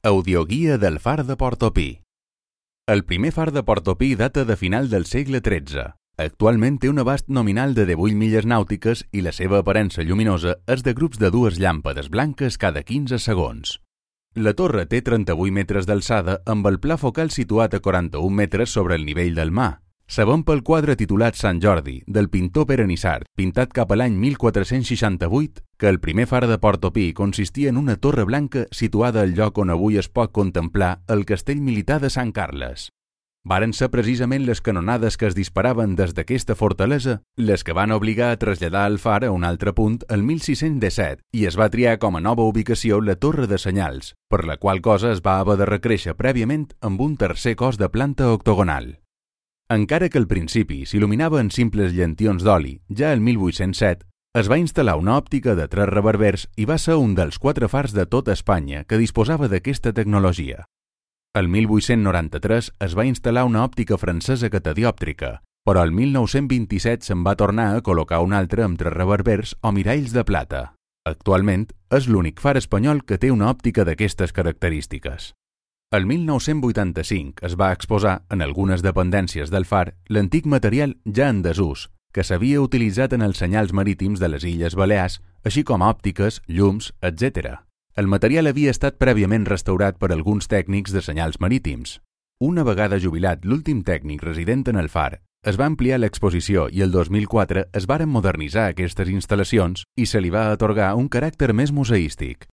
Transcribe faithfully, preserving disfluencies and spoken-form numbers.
Audioguia del far de Portopí. El primer far de Portopí data de final del segle tretze. Actualment té un abast nominal de divuit milles nàutiques i la seva aparença lluminosa és de grups de dues llàmpades blanques cada quinze segons. La torre té trenta-vuit metres d'alçada amb el pla focal situat a quaranta-un metres sobre el nivell del mar. Sabem pel quadre titulat Sant Jordi, del pintor Pere Nisart, pintat cap a l'any mil quatre-cents seixanta-vuit, que el primer far de Portopí consistia en una torre blanca situada al lloc on avui es pot contemplar el castell militar de Sant Carles. Varen ser precisament les canonades que es disparaven des d'aquesta fortalesa les que van obligar a traslladar el far a un altre punt el mil sis-cents disset i es va triar com a nova ubicació la torre de senyals, per la qual cosa es va haver de recréixer prèviament amb un tercer cos de planta octogonal. Encara que al principi s'il·luminava en simples llentions d'oli, ja el mil vuit-cents set es va instal·lar una òptica de tres reverbers i va ser un dels quatre fars de tota Espanya que disposava d'aquesta tecnologia. El mil vuit-cents noranta-tres es va instal·lar una òptica francesa catadiòptrica, però el mil nou-cents vint-i-set se'n va tornar a col·locar una altra amb tres reverbers o miralls de plata. Actualment és l'únic far espanyol que té una òptica d'aquestes característiques. El mil nou-cents vuitanta-cinc es va exposar en algunes dependències del far l'antic material ja en desús, que s'havia utilitzat en els senyals marítims de les Illes Balears, així com òptiques, llums, etcètera. El material havia estat prèviament restaurat per alguns tècnics de senyals marítims. Una vegada jubilat l'últim tècnic resident en el far, es va ampliar l'exposició i el dos mil quatre es varen modernitzar aquestes instal·lacions i se li va atorgar un caràcter més museístic.